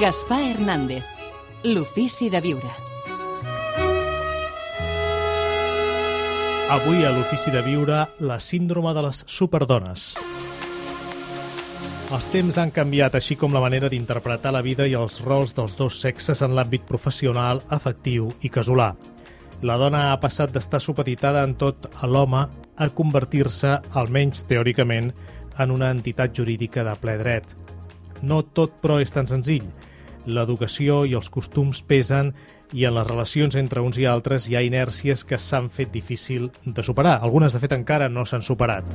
Gaspar Hernández, l'ofici de viure. Avui a l'ofici de viure, la síndrome de les superdones. Els temps han canviat, així com la manera d'interpretar la vida i els rols dels dos sexes en l'àmbit professional, afectiu i casolà. La dona ha passat d'estar supeditada en tot a l'home a convertir-se, almenys teòricament, en una entitat jurídica de ple dret. No tot, però, és tan senzill. L'educació i els costums pesen i en les relacions entre uns i altres hi ha inèrcies que s'han fet difícil de superar. Algunes, de fet, encara no s'han superat.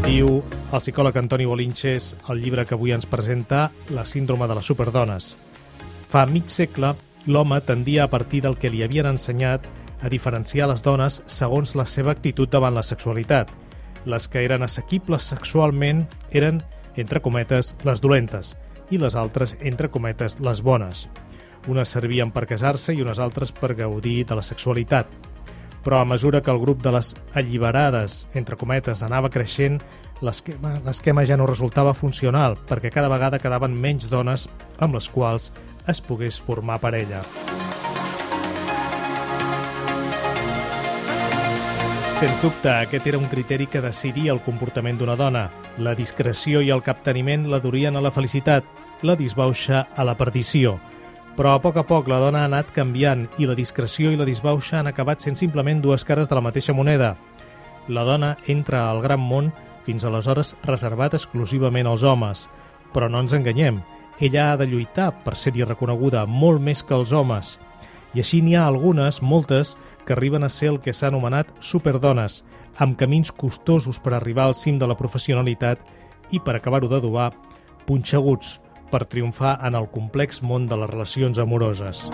Diu el psicòleg Antoni Bolinches al llibre que avui ens presenta, La síndrome de les superdones. Fa mig segle, l'home tendia a partir del que li havien ensenyat a diferenciar les dones segons la seva actitud davant la sexualitat. Les que eren assequibles sexualment eren, entre cometes, les dolentes, i les altres, entre cometes, les bones. Unes servien per casar-se i unes altres per gaudir de la sexualitat. Però a mesura que el grup de les alliberades, entre cometes, anava creixent, l'esquema ja no resultava funcional, perquè cada vegada quedaven menys dones amb les quals es pogués formar parella. Sens dubte, aquest era un criteri que decidia el comportament d'una dona. La discreció i el capteniment la durien a la felicitat, la disbauxa a la perdició. Però a poc la dona ha anat canviant i la discreció i la disbauxa han acabat sent simplement dues cares de la mateixa moneda. La dona entra al gran món fins aleshores reservat exclusivament als homes. Però no ens enganyem, ella ha de lluitar per ser-hi reconeguda molt més que els homes. I així n'hi ha algunes, moltes, que arriben a ser el que s'ha anomenat superdones, amb camins costosos per arribar al cim de la professionalitat i, per acabar-ho d'adobar, punxeguts per triomfar en el complex món de les relacions amoroses.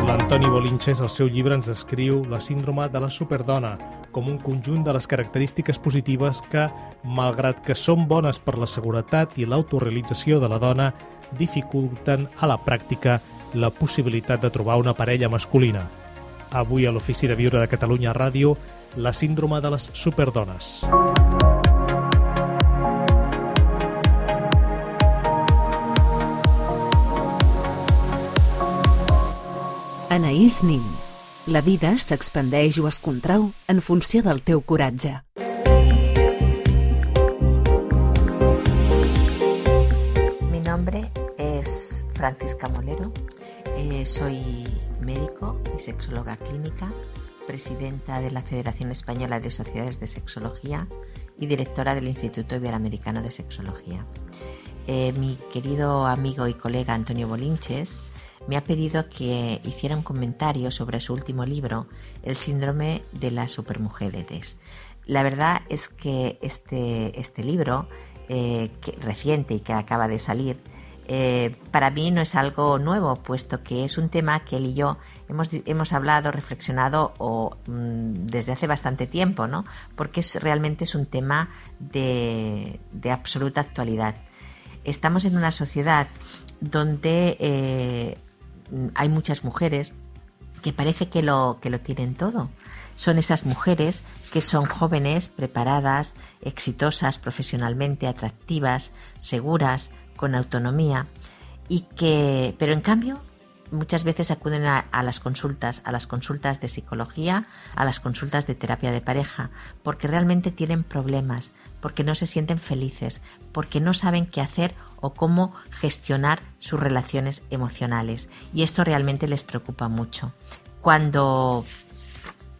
L'Antoni Bolinches, al seu llibre, ens descriu la síndrome de la superdona com un conjunt de les característiques positives que, malgrat que són bones per la seguretat i l'autorealització de la dona, dificulten a la pràctica la possibilitat de trobar una parella masculina. Avui a l'Ofici de Viure de Catalunya Ràdio, la síndrome de les superdones. Anaïs Nin. La vida s'expandeix o es contrau en funció del teu coratge. Mi nombre es Francisca Molero. Soy médico y sexóloga clínica, presidenta de la Federación Española de Sociedades de Sexología y directora del Instituto Iberoamericano de Sexología. Mi querido amigo y colega Antonio Bolinches me ha pedido que hiciera un comentario sobre su último libro, El síndrome de las supermujeres. La verdad es que este libro, reciente y que acaba de salir, para mí no es algo nuevo, puesto que es un tema que él y yo hemos hablado, reflexionado desde hace bastante tiempo, ¿no? Porque realmente es un tema de absoluta actualidad. Estamos en una sociedad donde hay muchas mujeres que parece que lo tienen todo. Son esas mujeres que son jóvenes, preparadas, exitosas profesionalmente, atractivas, seguras, con autonomía, pero en cambio muchas veces acuden a las consultas de psicología, a las consultas de terapia de pareja, porque realmente tienen problemas, porque no se sienten felices, porque no saben qué hacer o cómo gestionar sus relaciones emocionales. Y esto realmente les preocupa mucho. Cuando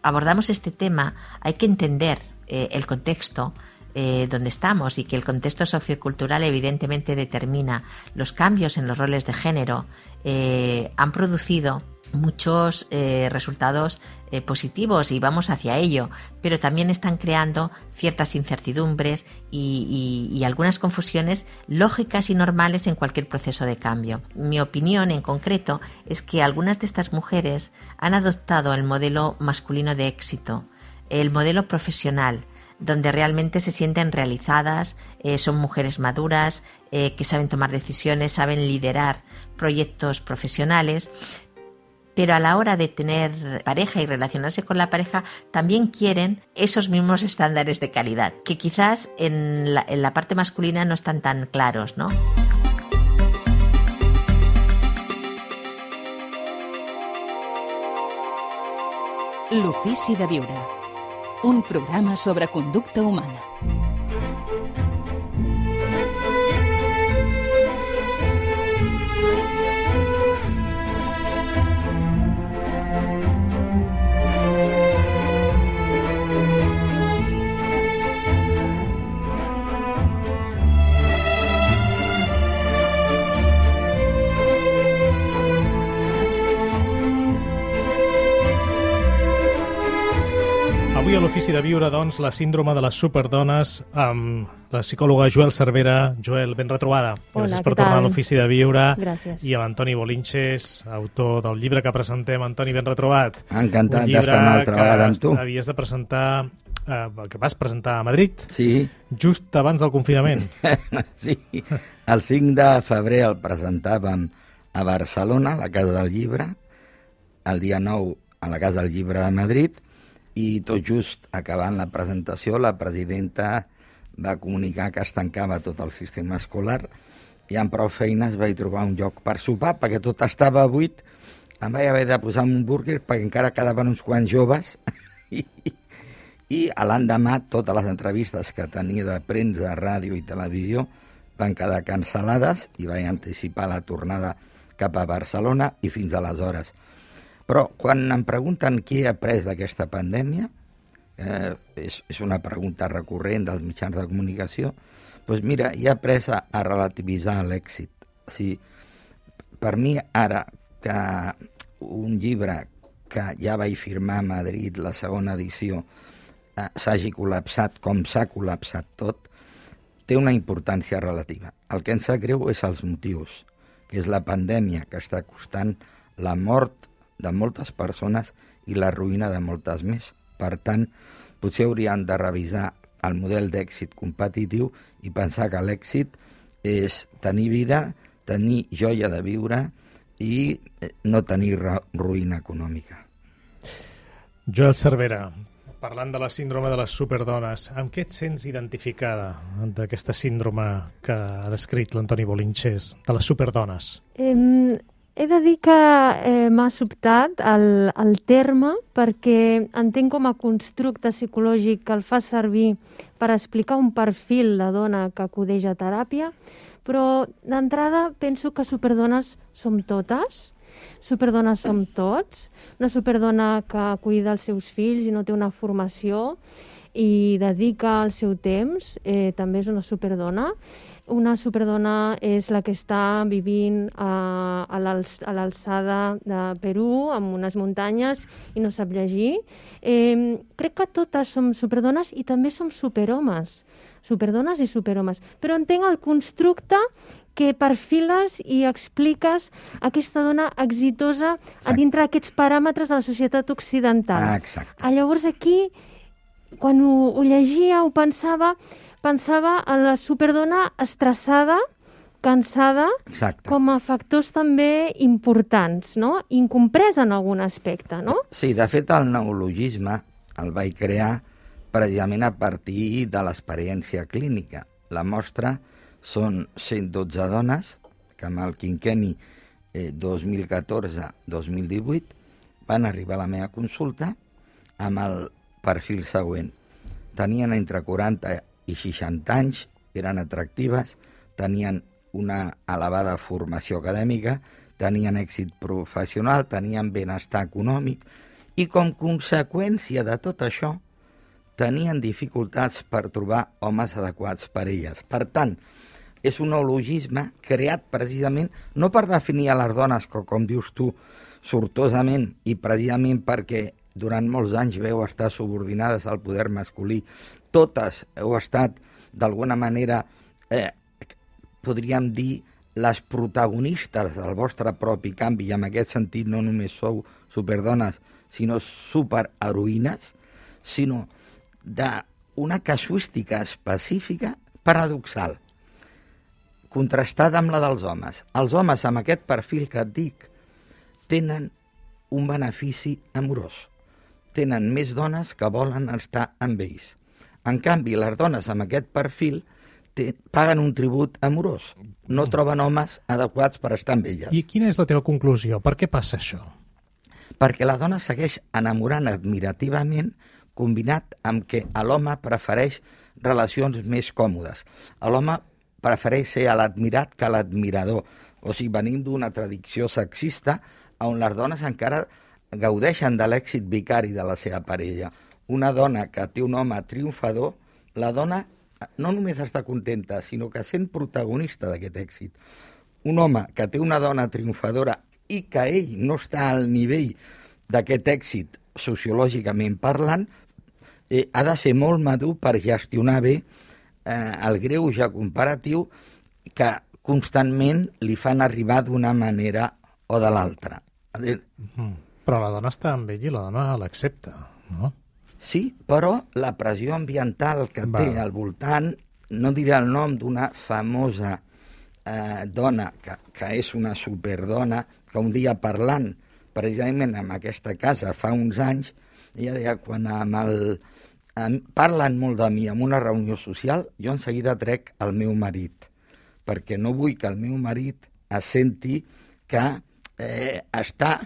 abordamos este tema hay que entender el contexto donde estamos, y que el contexto sociocultural evidentemente determina los cambios en los roles de género. Han producido muchos resultados positivos y vamos hacia ello, pero también están creando ciertas incertidumbres y algunas confusiones lógicas y normales en cualquier proceso de cambio. Mi opinión en concreto es que algunas de estas mujeres han adoptado el modelo masculino de éxito, el modelo profesional, donde realmente se sienten realizadas, son mujeres maduras, que saben tomar decisiones, saben liderar proyectos profesionales, pero a la hora de tener pareja y relacionarse con la pareja también quieren esos mismos estándares de calidad, que quizás en la parte masculina no están tan claros, ¿no? L'ofici de viure. Un programa sobre conducta humana. Avui a l'Ofici de Viure, doncs, la síndrome de les superdones amb la psicòloga Joel Cervera. Joel, ben retrobada. Hola, gràcies per tornar a l'Ofici de Viure. Gràcies. I a l'Antoni Bolinches, autor del llibre que presentem. Antoni, ben retrobat. Encantat d'estar una altra vegada amb tu. Havies de presentar, que vas presentar a Madrid, Sí. just abans del confinament. Sí, el 5 de febrer el presentàvem a Barcelona, a la Casa del Llibre, el dia 9 a la Casa del Llibre de Madrid, i tot just acabant la presentació la presidenta va comunicar que es tancava tot el sistema escolar i amb prou feines vaig trobar un lloc per sopar perquè tot estava buit. Em vaig haver de posar un búrguer perquè encara quedaven uns quants joves i a l'endemà totes les entrevistes que tenia de premsa, ràdio i televisió van quedar cancel·lades i vaig anticipar la tornada cap a Barcelona i fins aleshores. Però quan em pregunten què he après d'aquesta pandèmia, és una pregunta recurrent dels mitjans de comunicació, doncs mira, he après a relativitzar l'èxit. O sigui, per mi ara que un llibre que ja vaig firmar a Madrid, la segona edició, s'hagi col·lapsat com s'ha col·lapsat tot, té una importància relativa. El que ens sap greu és els motius, que és la pandèmia que està costant la mort de moltes persones i la ruïna de moltes més. Per tant, potser haurien de revisar el model d'èxit competitiu i pensar que l'èxit és tenir vida, tenir joia de viure i no tenir ruïna econòmica. Joel Cervera, parlant de la síndrome de les superdones, amb què et sents identificada d'aquesta síndrome que ha descrit l'Antoni Bolinches, de les superdones? He de dir que m'ha sobtat el terme perquè entenc com a constructe psicològic que el fa servir per explicar un perfil de dona que acudeix a teràpia, però d'entrada penso que superdones som totes, superdones som tots, una superdona que cuida els seus fills i no té una formació i dedica el seu temps, també és una superdona. Una superdona és la que està vivint a l'alçada de Perú, amb unes muntanyes, i no sap llegir. Crec que totes som superdones i també som superhomes. Superdones i superhomes. Però entenc el constructe que perfiles i expliques aquesta dona exitosa a dintre d'aquests paràmetres de la societat occidental. Exacte. Llavors aquí, quan ho llegia, ho pensava en la superdona estressada, cansada, Exacte. com a factors també importants, no? Incomprès en algun aspecte, no? Sí, de fet el neologisme el vaig crear precisament a partir de l'experiència clínica. La mostra són 112 dones que amb el quinquenni 2014-2018 van arribar a la meva consulta amb el perfil següent. Tenien entre 40 i 60 anys, eren atractives, tenien una elevada formació acadèmica, tenien èxit professional, tenien benestar econòmic i com conseqüència de tot això tenien dificultats per trobar homes adequats per elles. Per tant, és un neologisme creat precisament no per definir a les dones com dius tu, sortosament i precisament perquè durant molts anys veu estar subordinades al poder masculí. Totes heu estat, d'alguna manera, podríem dir, les protagonistes del vostre propi canvi, i en aquest sentit no només sou superdones, sinó superheroïnes, sinó d'una casuística específica paradoxal, contrastada amb la dels homes. Els homes, amb aquest perfil que et dic, tenen un benefici amorós. Tenen més dones que volen estar amb ells. En canvi, les dones amb aquest perfil paguen un tribut amorós. No troben homes adequats per estar amb elles. I quina és la teva conclusió? Per què passa això? perquè la dona segueix enamorant admirativament, combinat amb que l'home prefereix relacions més còmodes. L'home prefereix ser l'admirat que l'admirador. O sigui, venim d'una tradició sexista on les dones encara gaudeixen de l'èxit vicari de la seva parella. Una dona que té un home triomfador, la dona no només està contenta, sinó que sent protagonista d'aquest èxit. Un home que té una dona triomfadora i que ell no està al nivell d'aquest èxit sociològicament parlant, ha de ser molt madur per gestionar bé el greuge comparatiu que constantment li fan arribar d'una manera o de l'altra. Però la dona està amb ell i la dona l'accepta, no? Sí, però la pressió ambiental que té al voltant, no diré el nom d'una famosa dona, que és una superdona, que un dia parlant precisament en aquesta casa fa uns anys, ella deia, quan parlen molt de mi en una reunió social, jo en seguida trec el meu marit, perquè no vull que el meu marit es senti que està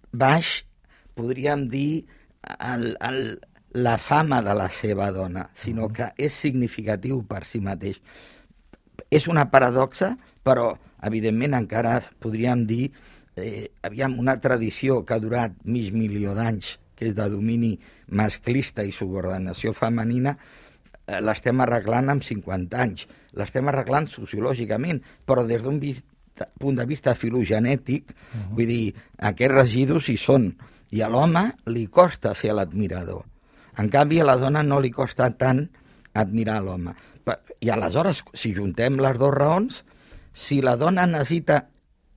baix, podríem dir, la fama de la seva dona, sinó que és significatiu per si mateix. És una paradoxa, però evidentment encara podríem dir una tradició que ha durat mig milió d'anys, que és de domini masclista i subordinació femenina, l'estem arreglant amb 50 anys. L'estem arreglant sociològicament, però des d'un punt de vista filogenètic, vull dir, aquests residus hi són, i a l'home li costa ser l'admirador. En canvi, a la dona no li costa tant admirar l'home. I aleshores, si juntem les dues raons, si la dona necessita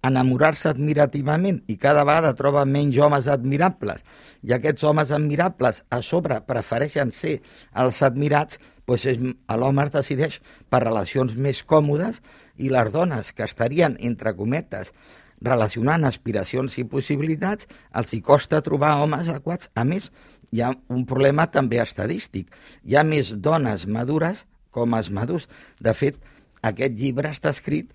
enamorar-se admirativament i cada vegada troba menys homes admirables, i aquests homes admirables a sobre prefereixen ser els admirats, doncs l'home es decideix per relacions més còmodes i les dones que estarien, entre cometes, relacionant aspiracions i possibilitats, els hi costa trobar homes adequats. A més, hi ha un problema també estadístic. Hi ha més dones madures que homes madurs. De fet, aquest llibre està escrit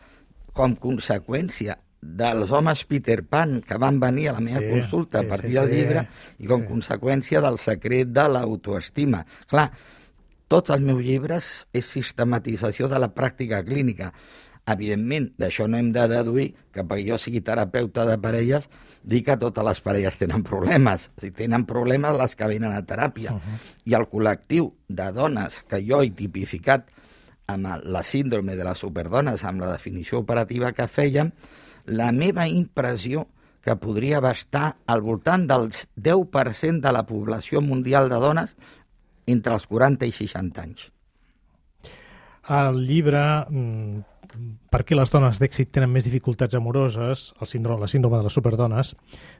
com conseqüència dels homes Peter Pan que van venir a la meva consulta a partir del llibre i com conseqüència del secret de l'autoestima. Clar, tots els meus llibres és sistematització de la pràctica clínica. Evidentment, d'això no hem de deduir que perquè jo sigui terapeuta de parelles dic que totes les parelles tenen problemes. Si tenen problemes les que venen a teràpia. I el col·lectiu de dones que jo he tipificat amb la síndrome de les superdones, amb la definició operativa que fèiem, la meva impressió que podria estar al voltant del 10% de la població mundial de dones entre els 40 i 60 anys. El llibre Per què les dones d'èxit tenen més dificultats amoroses, la síndrome de les superdones,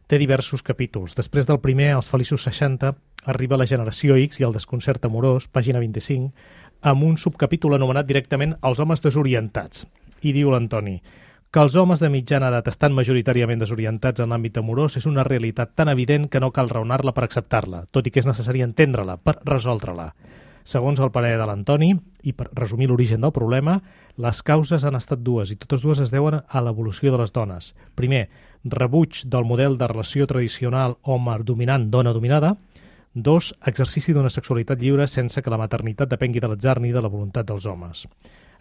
té diversos capítols. Després del primer, els feliços 60, arriba la generació X i el desconcert amorós, pàgina 25, amb un subcapítol anomenat directament Els homes desorientats. I diu l'Antoni que els homes de mitjana edat estan majoritàriament desorientats en l'àmbit amorós és una realitat tan evident que no cal raonar-la per acceptar-la, tot i que és necessari entendre-la per resoldre-la. Segons el parer de l'Antoni, i per resumir l'origen del problema, les causes han estat dues, i totes dues es deuen a l'evolució de les dones. Primer, rebuig del model de relació tradicional home dominant, dona dominada. 2, exercici d'una sexualitat lliure sense que la maternitat depengui de l'atzar ni de la voluntat dels homes.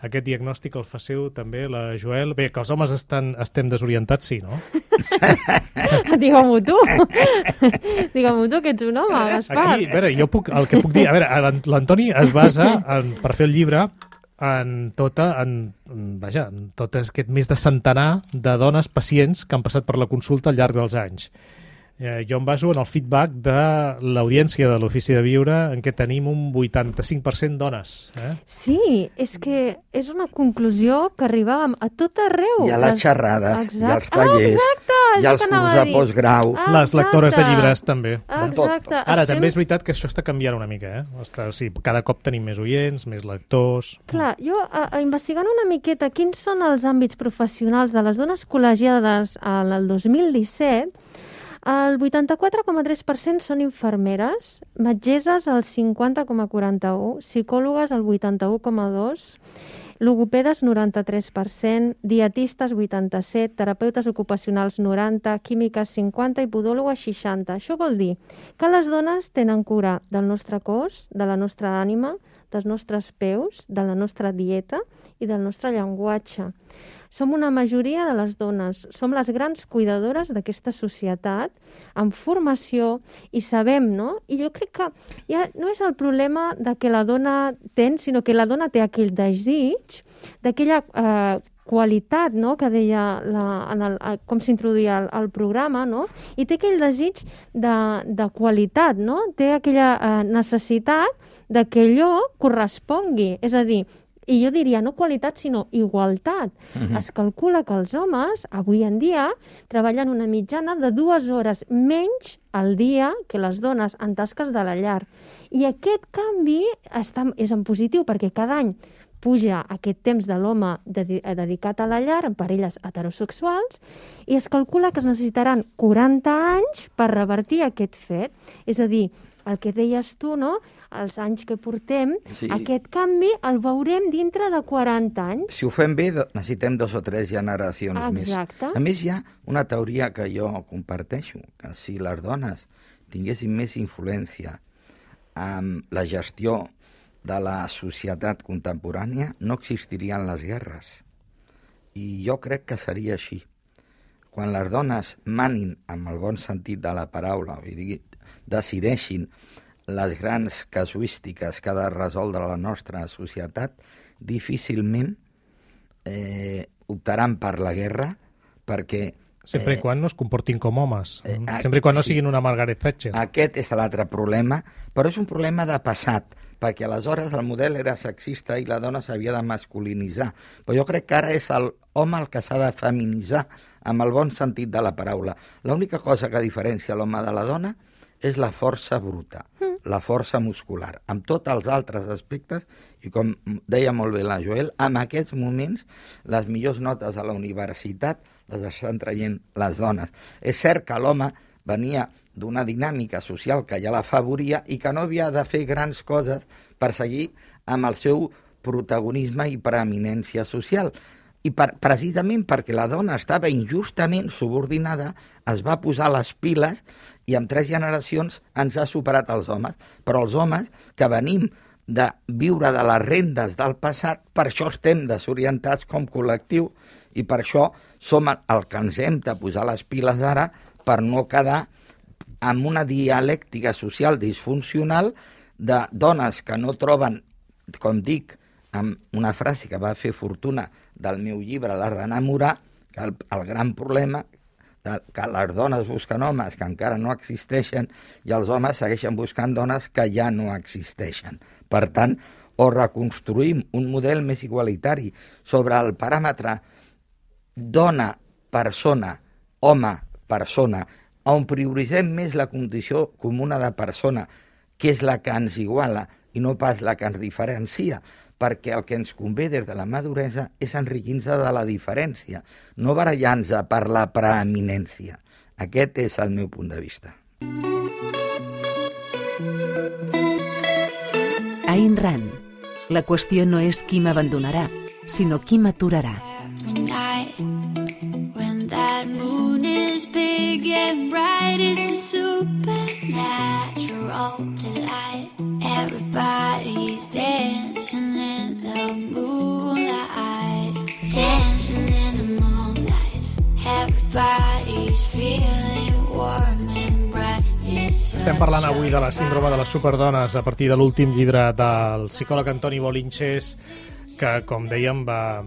Aquest diagnòstic el faceu també la Joel. Bé, que els homes estem desorientats, sí, no? Digue-m'ho tu. Digue-m'o tu, que ets un home, Gaspar. Aquí, a veure, el que puc dir... A veure, l'Antoni es basa, per fer el llibre, en tot aquest més de centenar de dones pacients que han passat per la consulta al llarg dels anys. Jo em baso en el feedback de l'audiència de l'Ofici de Viure, en què tenim un 85% dones. Sí, és que és una conclusió que arribàvem a tot arreu. I a les xerrades, i als tallers, i als curs de postgrau. Les lectores de llibres, també. Exacte. Ara, també és veritat que això està canviant una mica. Cada cop tenim més oients, més lectors... Clar, jo, investigant una miqueta quins són els àmbits professionals de les dones col·legiades al 2017, el 84,3% són infermeres, metgesses el 50,41%, psicòlogues el 81,2%, logopedes 93%, dietistes 87%, terapeutes ocupacionals 90%, químiques 50% i podòlogues 60%. Això vol dir que les dones tenen cura del nostre cos, de la nostra ànima, dels nostres peus, de la nostra dieta i del nostre llenguatge. Som una majoria de les dones, som les grans cuidadores d'aquesta societat, amb formació, i sabem, no? I jo crec que ja no és el problema de que la dona ten, sinó que la dona té aquell desig, d'aquella qualitat, no?, que deia com s'introduïa al programa, no?, i té aquell desig de qualitat, no?, té aquella necessitat de que allò correspongui, és a dir, i jo diria no qualitat, sinó igualtat. Es calcula que els homes, avui en dia, treballen una mitjana de 2 hores menys al dia que les dones en tasques de la llar. I aquest canvi és en positiu, perquè cada any puja aquest temps de l'home dedicat a la llar en parelles heterosexuals i es calcula que es necessitaran 40 anys per revertir aquest fet. És a dir, el que deies tu, no?, els anys que portem, sí, aquest canvi el veurem dintre de 40 anys. Si ho fem bé, necessitem 2 o 3 generacions més. Exacte. A més, hi ha una teoria que jo comparteixo, que si les dones tinguessin més influència en la gestió de la societat contemporània, no existirien les guerres. I jo crec que seria així. Quan les dones manin, amb el bon sentit de la paraula, vull dir, decideixin les grans casuístiques que ha de resoldre la nostra societat, difícilment optaran per la guerra, perquè... Sempre i quan no es comportin com homes, sempre i quan no siguin una Margaret Thatcher. Aquest és l'altre problema, però és un problema de passat, perquè aleshores el model era sexista i la dona s'havia de masculinitzar. Però jo crec que ara és l'home el que s'ha de feminitzar, amb el bon sentit de la paraula. L'única cosa que diferencia l'home de la dona és la força bruta, la força muscular. Amb tots els altres aspectes, i com deia molt bé la Joel, en aquests moments les millors notes a la universitat les estan traient les dones. És cert que l'home venia d'una dinàmica social que ja l'afavoria i que no havia de fer grans coses per seguir amb el seu protagonisme i preeminència social. I precisament perquè la dona estava injustament subordinada, es va posar les piles i en 3 generacions ens ha superat els homes. Però els homes, que venim de viure de les rendes del passat, per això estem desorientats com col·lectiu i per això som el que ens hem de posar les piles ara per no quedar amb una dialèctica social disfuncional de dones que no troben, com dic, amb una frase que va fer fortuna del meu llibre, L'art d'enamorar, que el gran problema que les dones busquen homes que encara no existeixen i els homes segueixen buscant dones que ja no existeixen. Per tant, o reconstruïm un model més igualitari sobre el paràmetre dona-persona, home-persona, on prioritzem més la condició comuna de persona, que és la que ens iguala i no pas la que ens diferencia, perquè el que ens convé des de la maduresa és enriquir-nos de la diferència, no barallar-nos per la preeminència. Aquest és el meu punt de vista. Ayn Rand. La qüestió no és qui m'abandonarà, sinó qui m'aturarà. When that moon is big and bright, it's a supernatural delight. Everybody's dancing in the moonlight, dancing in the moonlight. Everybody's feeling warm and bright. Estem parlant avui de la síndrome de les superdones a partir de l'últim llibre del psicòleg Antoni Bolinches, que, com dèiem, va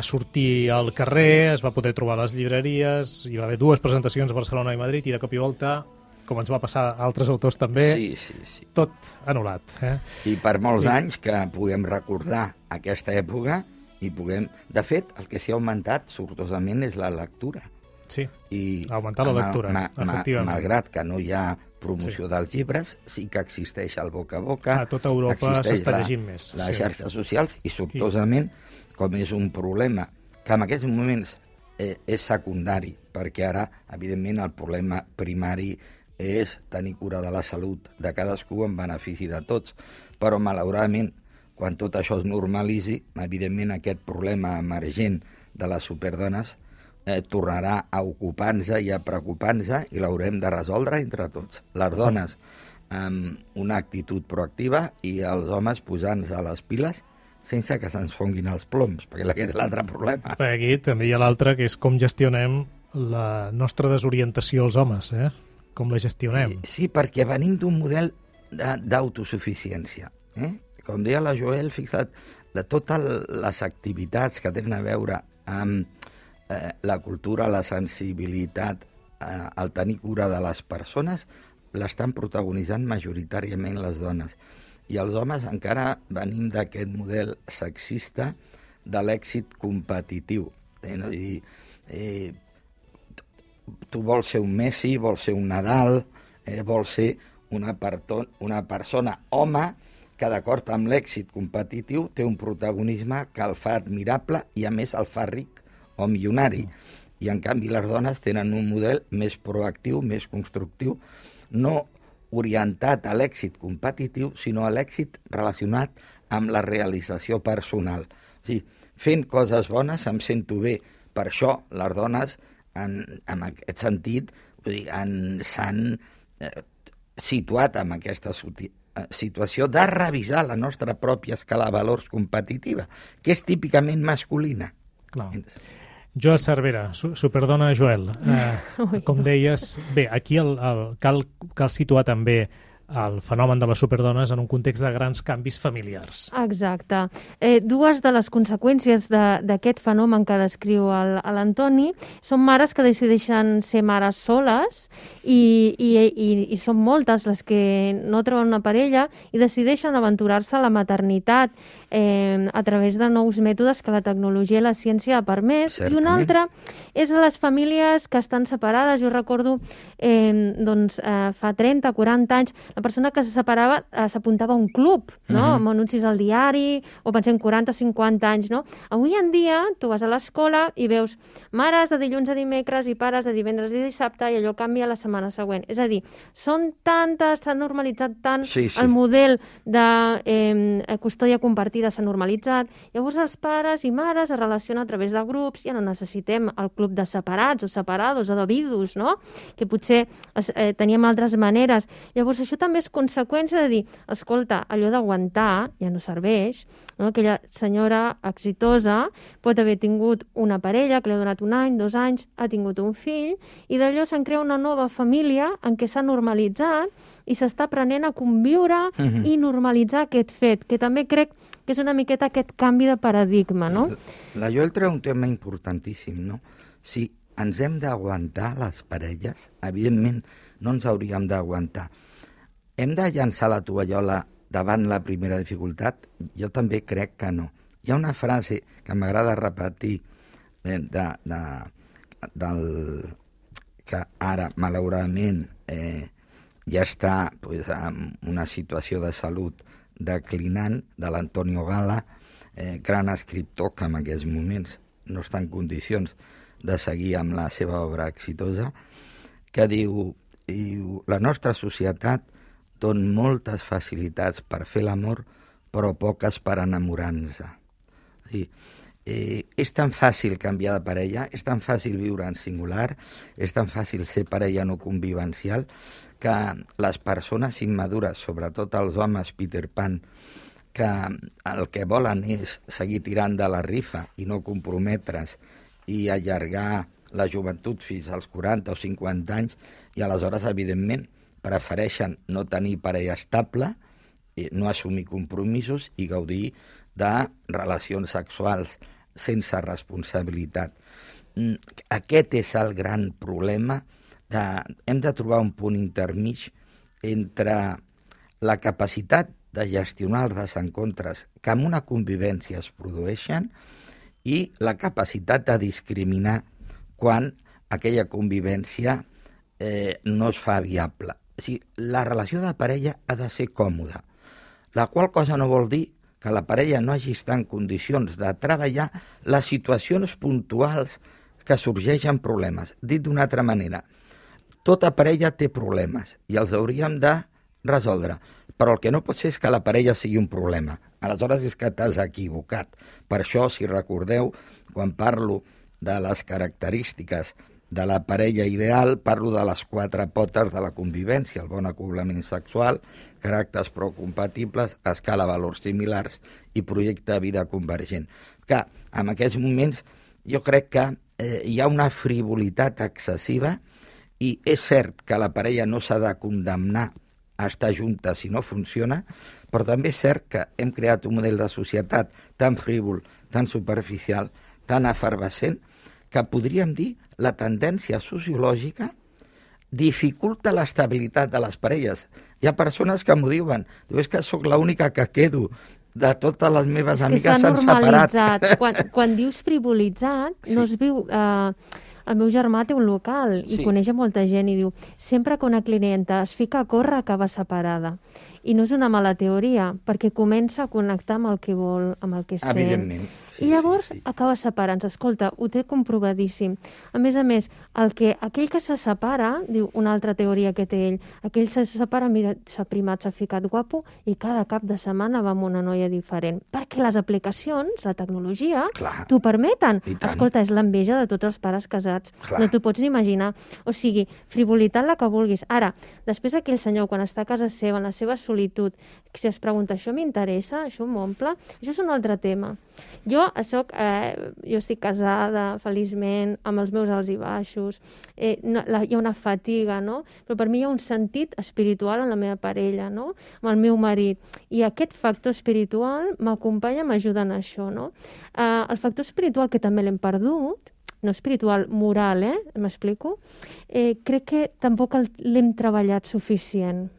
sortir al carrer, es va poder trobar a les llibreries, hi va haver 2 presentacions a Barcelona i Madrid, i de cop i volta, com ens va passar a altres autors també, sí. tot anul·lat. I per molts anys que puguem recordar aquesta època i puguem... De fet, el que s'hi ha augmentat sortosament és la lectura. Sí, ha augmentat la lectura, efectivament. Malgrat que no hi ha promoció dels llibres, sí que existeix el boca a boca. A tota Europa s'està llegint més. Les xarxes socials, i sortosament, com és un problema que en aquests moments és secundari, perquè ara, evidentment, el problema primari és tenir cura de la salut de cadascú en benefici de tots, però malauradament quan tot això es normalitzi, evidentment aquest problema emergent de les superdones tornarà a ocupar-nos i a preocupar-nos i l'haurem de resoldre entre tots. Les dones amb una actitud proactiva i els homes posant-nos a les piles sense que se'ns fonguin els ploms, perquè aquest és l'altre problema. Aquí també hi ha l'altre, que és com gestionem la nostra desorientació als homes, com la gestionem. Sí, perquè venim d'un model d'autosuficiència. Com deia la Joel, fixa't, de totes les activitats que tenen a veure amb la cultura, la sensibilitat, el tenir cura de les persones, l'estan protagonitzant majoritàriament les dones. I els homes encara venim d'aquest model sexista de l'èxit competitiu. Tu vols ser un Messi, vols ser un Nadal, vols ser una persona home que, d'acord amb l'èxit competitiu, té un protagonisme que el fa admirable i, a més, el fa ric o milionari. I, en canvi, les dones tenen un model més proactiu, més constructiu, no orientat a l'èxit competitiu, sinó a l'èxit relacionat amb la realització personal. O sigui, fent coses bones em sento bé. Per això les dones, en aquest sentit, s'han situat en aquesta situació de revisar la nostra pròpia escala de valors competitiva, que és típicament masculina. Clar. Joel Cervera, superdona Joel, com deies, bé, aquí cal situar també el fenomen de les superdones en un context de grans canvis familiars. Exacte. Dues de les conseqüències d'aquest fenomen que descriu l'Antoni són mares que decideixen ser mares soles i són moltes les que no troben una parella i decideixen aventurar-se a la maternitat a través de nous mètodes que la tecnologia i la ciència ha permès. Certament. I una altra és a les famílies que estan separades. Jo recordo fa 30-40 anys la persona que se separava s'apuntava a un club, no? Amb anuncis al diari, o pensem 40-50 anys, no? Avui en dia tu vas a l'escola i veus mares de dilluns a dimecres i pares de divendres i dissabte i allò canvia la setmana següent. És a dir, són tantes, s'ha normalitzat tant, el model de custòdia compartida s'ha normalitzat, llavors els pares i mares es relacionen a través de grups, ja no necessitem el club de separats o separados o de vidus, no? Que potser teníem altres maneres. Llavors això també és conseqüència de dir, escolta, allò d'aguantar ja no serveix, no? Aquella senyora exitosa pot haver tingut una parella que li ha donat 1 any, 2 anys, ha tingut un fill, i d'allò se'n crea una nova família en què s'ha normalitzat i s'està aprenent a conviure i normalitzar aquest fet, que també crec que és una miqueta aquest canvi de paradigma, no? La Joel treu un tema importantíssim, no? Si ens hem d'aguantar les parelles, evidentment no ens hauríem d'aguantar. Hem de llançar la tovallola davant la primera dificultat? Jo també crec que no. Hi ha una frase que m'agrada repetir que ara, malauradament, ja està en una situació de salut declinant, de l'Antonio Gala, gran escriptor que en aquests moments no està en condicions de seguir amb la seva obra exitosa, que diu la nostra societat dona moltes facilitats per fer l'amor, però poques per enamorar-nos. És tan fàcil canviar de parella, és tan fàcil viure en singular, és tan fàcil ser parella no convivencial, que les persones immadures, sobretot els homes Peter Pan, que el que volen és seguir tirant de la rifa i no comprometre's i allargar la joventut fins als 40 o 50 anys, i aleshores, evidentment, prefereixen no tenir parella estable, no assumir compromisos i gaudir de relacions sexuals sense responsabilitat. Aquest és el gran problema. Hem de trobar un punt intermig entre la capacitat de gestionar els desencontres que en una convivència es produeixen i la capacitat de discriminar quan aquella convivència no es fa viable. O sigui, la relació de parella ha de ser còmoda, la qual cosa no vol dir que la parella no hagi estat en condicions de treballar les situacions puntuals que sorgeixen problemes. Dit d'una altra manera, tota parella té problemes i els hauríem de resoldre. Però el que no pot ser és que la parella sigui un problema. Aleshores és que t'has equivocat. Per això, si recordeu, quan parlo de les característiques de la parella ideal, parlo de les 4 potes de la convivència, el bon acoblament sexual, caràcters prou compatibles, escala valors similars i projecte de vida convergent. Que en aquests moments jo crec que hi ha una frivolitat excessiva i és cert que la parella no s'ha de condemnar a estar junta si no funciona, però també és cert que hem creat un model de societat tan frívol, tan superficial, tan efervescent, que podríem dir la tendència sociològica dificulta l'estabilitat de les parelles. Hi ha persones que m'ho diuen, és que sóc l'única que quedo, de totes les meves amigues s'han separat. Quan dius frivolitzat, sí. No es viu... El meu germà té un local i coneix a molta gent i diu sempre que una clienta es fica a córrer acaba separada. I no és una mala teoria, perquè comença a connectar amb el que vol, amb el que sent. Evidentment. I llavors acaba separant-se. Escolta, ho té comprovadíssim. A més, aquell que se separa, diu una altra teoria que té ell, aquell se separa, mira, s'ha primat, s'ha ficat guapo i cada cap de setmana va amb una noia diferent. Perquè les aplicacions, la tecnologia, t'ho permeten. Escolta, és l'enveja de tots els pares casats. No t'ho pots ni imaginar. O sigui, frivolitat la que vulguis. Ara, després aquell senyor, quan està a casa seva, en la seva solitud, si es pregunta, això m'interessa, això m'omple, això és un altre tema. Jo estic casada, feliçment, amb els meus alts i baixos, hi ha una fatiga, no? Però per mi hi ha un sentit espiritual en la meva parella, no? Amb el meu marit. I aquest factor espiritual m'acompanya, m'ajuda en això, no? El factor espiritual, que també l'hem perdut, no espiritual, moral, m'explico? Crec que tampoc l'hem treballat suficient.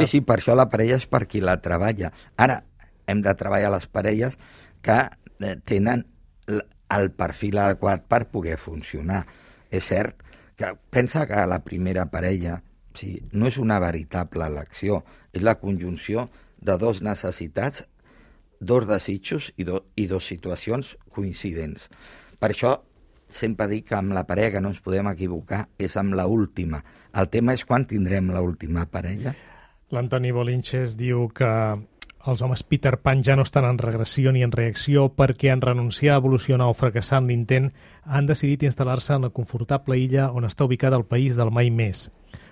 Sí, per això la parella és per qui la treballa. Ara, hem de treballar les parelles que tenen el perfil adequat per poder funcionar. És cert que pensa que la primera parella no és una veritable elecció, és la conjunció de 2 necessitats, 2 desitjos i 2 situacions coincidents. Per això sempre dic que amb la parella que no ens podem equivocar és amb l'última. El tema és quan tindrem l'última parella. L'Antoni Bolinches diu que els homes Peter Pan ja no estan en regressió ni en reacció perquè en renunciar a evolucionar o fracassar en l'intent han decidit instal·lar-se en la confortable illa on està ubicada el país del mai més.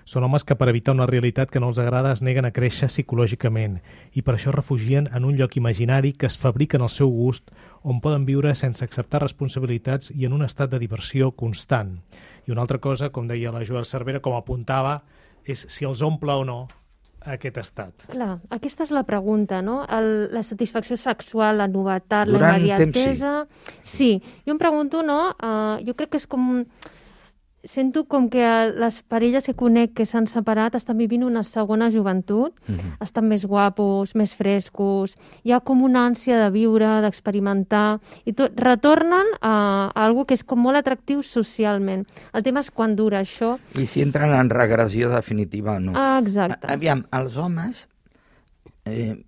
Són homes que per evitar una realitat que no els agrada es neguen a créixer psicològicament i per això refugien en un lloc imaginari que es fabriquen al seu gust on poden viure sense acceptar responsabilitats i en un estat de diversió constant. I una altra cosa, com deia la Joel Cervera, com apuntava, és si els omple o no aquest estat. Clar, aquesta és la pregunta, no? La satisfacció sexual, la novetat, la immediatesa... Sí, jo em pregunto, no? Jo crec que és com... Sento com que les parelles que conec que s'han separat estan vivint una segona joventut, estan més guapos, més frescos, hi ha com una ànsia de viure, d'experimentar, i retornen a algo que és com molt atractiu socialment. El tema és quan dura això. I si entren en regressió definitiva o no. Exacte. Aviam, els homes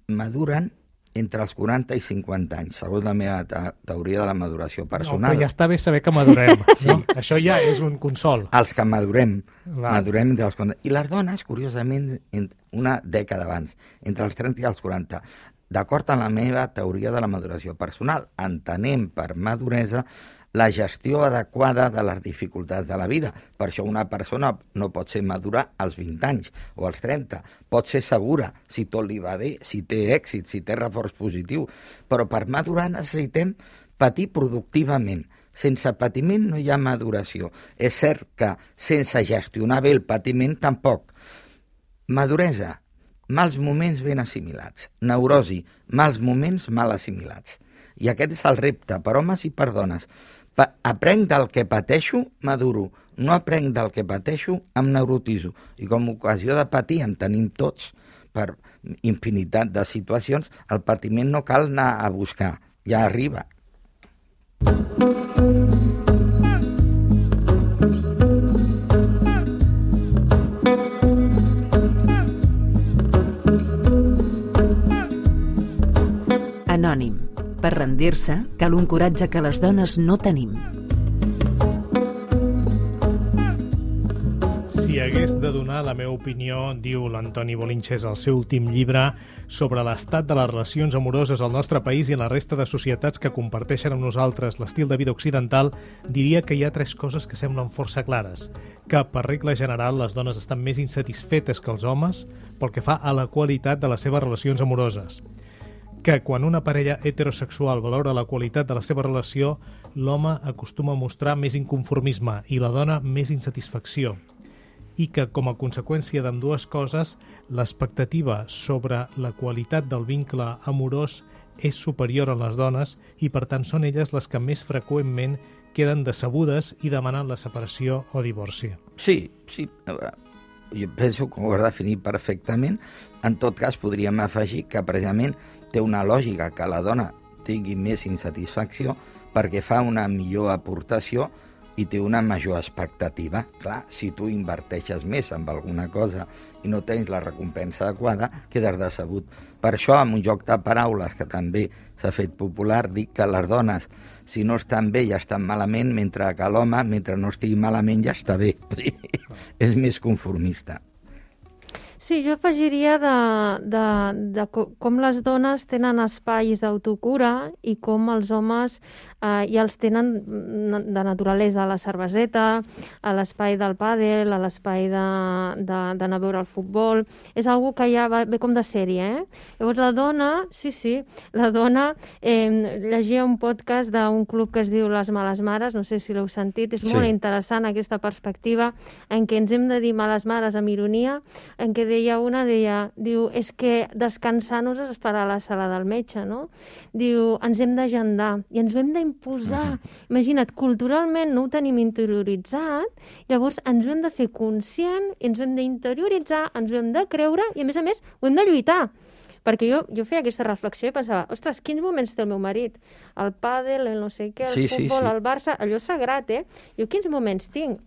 maduren entre els 40 i 50 anys, segons la meva teoria de la maduració personal. No, però ja està bé saber que madurem. No? Això ja és un consol. Els que madurem entre els 40. I les dones, curiosament, una dècada abans, entre els 30 i els 40. D'acord amb la meva teoria de la maduració personal, entenem per maduresa la gestió adequada de les dificultats de la vida. Per això una persona no pot ser madura als 20 anys o als 30. Pot ser segura si tot li va bé, si té èxit, si té reforç positiu. Però per madurar necessitem patir productivament. Sense patiment no hi ha maduració. És cert que sense gestionar bé el patiment tampoc. Maduresa, mals moments ben assimilats. Neurosi, mals moments mal assimilats. I aquest és el repte per homes i per dones. Aprenc del que pateixo, maduro. No aprenc del que pateixo, em neurotizo. I com a ocasió de patir en tenim tots per infinitat de situacions, el patiment no cal anar a buscar, ja arriba. Anònim. Per rendir-se, cal un coratge que les dones no tenim. Si hagués de donar la meva opinió, diu l'Antoni Bolinches al seu últim llibre, sobre l'estat de les relacions amoroses al nostre país i en la resta de societats que comparteixen amb nosaltres l'estil de vida occidental, diria que hi ha 3 coses que semblen força clares. Que, per regla general, les dones estan més insatisfetes que els homes pel que fa a la qualitat de les seves relacions amoroses. Que quan una parella heterosexual valora la qualitat de la seva relació, l'home acostuma a mostrar més inconformisme i la dona més insatisfacció. I que, com a conseqüència d'ambdues coses, l'expectativa sobre la qualitat del vincle amorós és superior en les dones i, per tant, són elles les que més freqüentment queden decebudes i demanen la separació o divorci. Sí. Jo penso que ho has definit perfectament. En tot cas, podríem afegir que precisament té una lògica que la dona tingui més insatisfacció perquè fa una millor aportació i té una major expectativa. Clar, si tu inverteixes més en alguna cosa i no tens la recompensa adequada, quedes decebut. Per això, en un joc de paraules que també s'ha fet popular, dic que les dones, si no estan bé, ja estan malament, mentre que l'home, mentre no estigui malament, ja està bé. O sigui, és més conformista. Sí, jo afegiria de com les dones tenen espais d'autocura i com els homes ja els tenen de naturalesa, a la cerveseta, a l'espai del pàdel, a l'espai d'anar a veure el futbol. És algo que ja ve com de sèrie, Llavors la dona, la dona llegia un podcast d'un club que es diu Les Males Mares, no sé si l'heu sentit, és molt interessant aquesta perspectiva en què ens hem de dir males mares amb ironia, en què diu, és que descansar no és esperar a la sala del metge, no? Diu, ens hem d'agendar i ens ho hem d'imposar. Imagina't, culturalment no ho tenim interioritzat, llavors ens ho hem de fer conscient, ens ho hem d'interioritzar, ens ho hem de creure i, a més, ho hem de lluitar. Perquè jo feia aquesta reflexió i pensava, ostres, quins moments té el meu marit? El pàdel, el no sé què, el futbol, el Barça, allò sagrat, Jo quins moments tinc?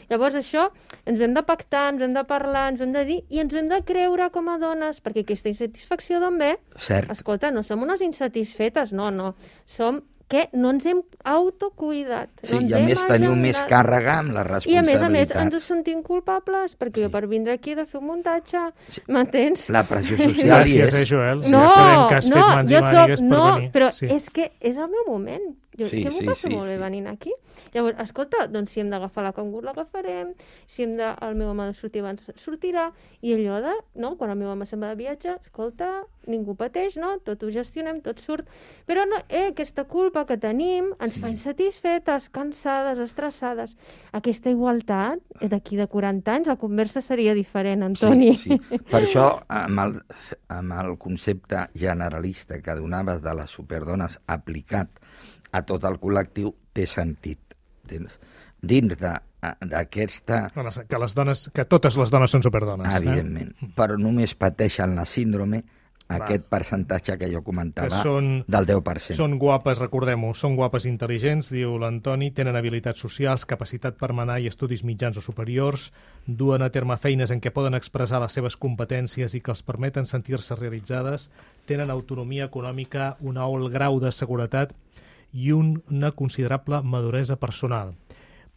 Llavors això ens ho hem de pactar, ens ho hem de parlar, ens ho hem de dir i ens ho hem de creure com a dones, perquè aquesta insatisfacció d'on ve? Cert. Escolta, no som unes insatisfetes, no. Som que no ens hem autocuidat. Sí, i a més teniu més càrrega amb la responsabilitat. I a més ens sentim culpables, perquè jo per vindre aquí he de fer un muntatge, m'entens? La pressió social Gràcies, Joel. Ja sabem que has fet mans i mànigues per venir. Però és que és el meu moment. És que m'ho passo molt bé venint aquí. Llavors, escolta, doncs si hem d'agafar la cangur, l'agafarem, si el meu home ha de sortir abans, sortirà, i allò quan el meu home se'n va de viatge, escolta, ningú pateix, tot ho gestionem, tot surt. Però aquesta culpa que tenim ens fa insatisfetes, cansades, estressades. Aquesta igualtat, d'aquí de 40 anys, la conversa seria diferent, Antoni. Sí. Per això, amb el concepte generalista que donaves de les superdones aplicat a tot el col·lectiu, té sentit. Dins d'aquesta... Que totes les dones són superdones. Evidentment, però només pateixen la síndrome aquest percentatge que jo comentava del 10%. Són guapes, recordem-ho, són guapes intel·ligents, diu l'Antoni, tenen habilitats socials, capacitat per manar i estudis mitjans o superiors, duen a terme feines en què poden expressar les seves competències i que els permeten sentir-se realitzades, tenen autonomia econòmica, un alt grau de seguretat i una considerable maduresa personal.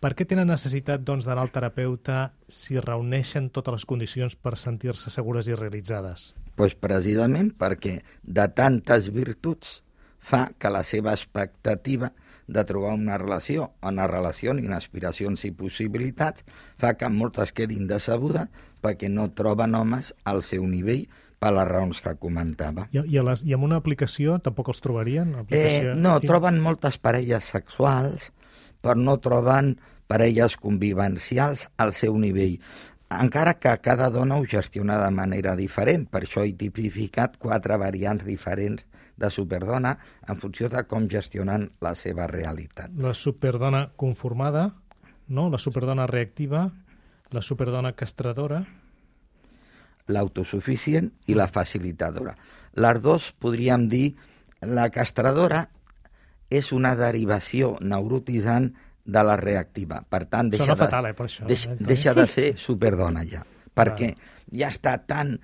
Per què tenen necessitat, doncs, d'anar al terapeuta si reuneixen totes les condicions per sentir-se segures i realitzades? Doncs precisament perquè de tantes virtuts fa que la seva expectativa de trobar una relació ni aspiracions i possibilitats fa que moltes quedin decebudes perquè no troben homes al seu nivell per les raons que comentava. I amb una aplicació tampoc els trobarien? Troben moltes parelles sexuals, però no troben parelles convivencials al seu nivell. Encara que cada dona ho gestiona de manera diferent, per això he tipificat 4 variants diferents de superdona en funció de com gestionen la seva realitat. La superdona conformada, la superdona reactiva, la superdona castradora, l'autosuficient i la facilitadora. Les dues podríem dir, la castradora és una derivació neurotitzant de la reactiva. Per tant, deixa de ser superdona ja, perquè ja està tan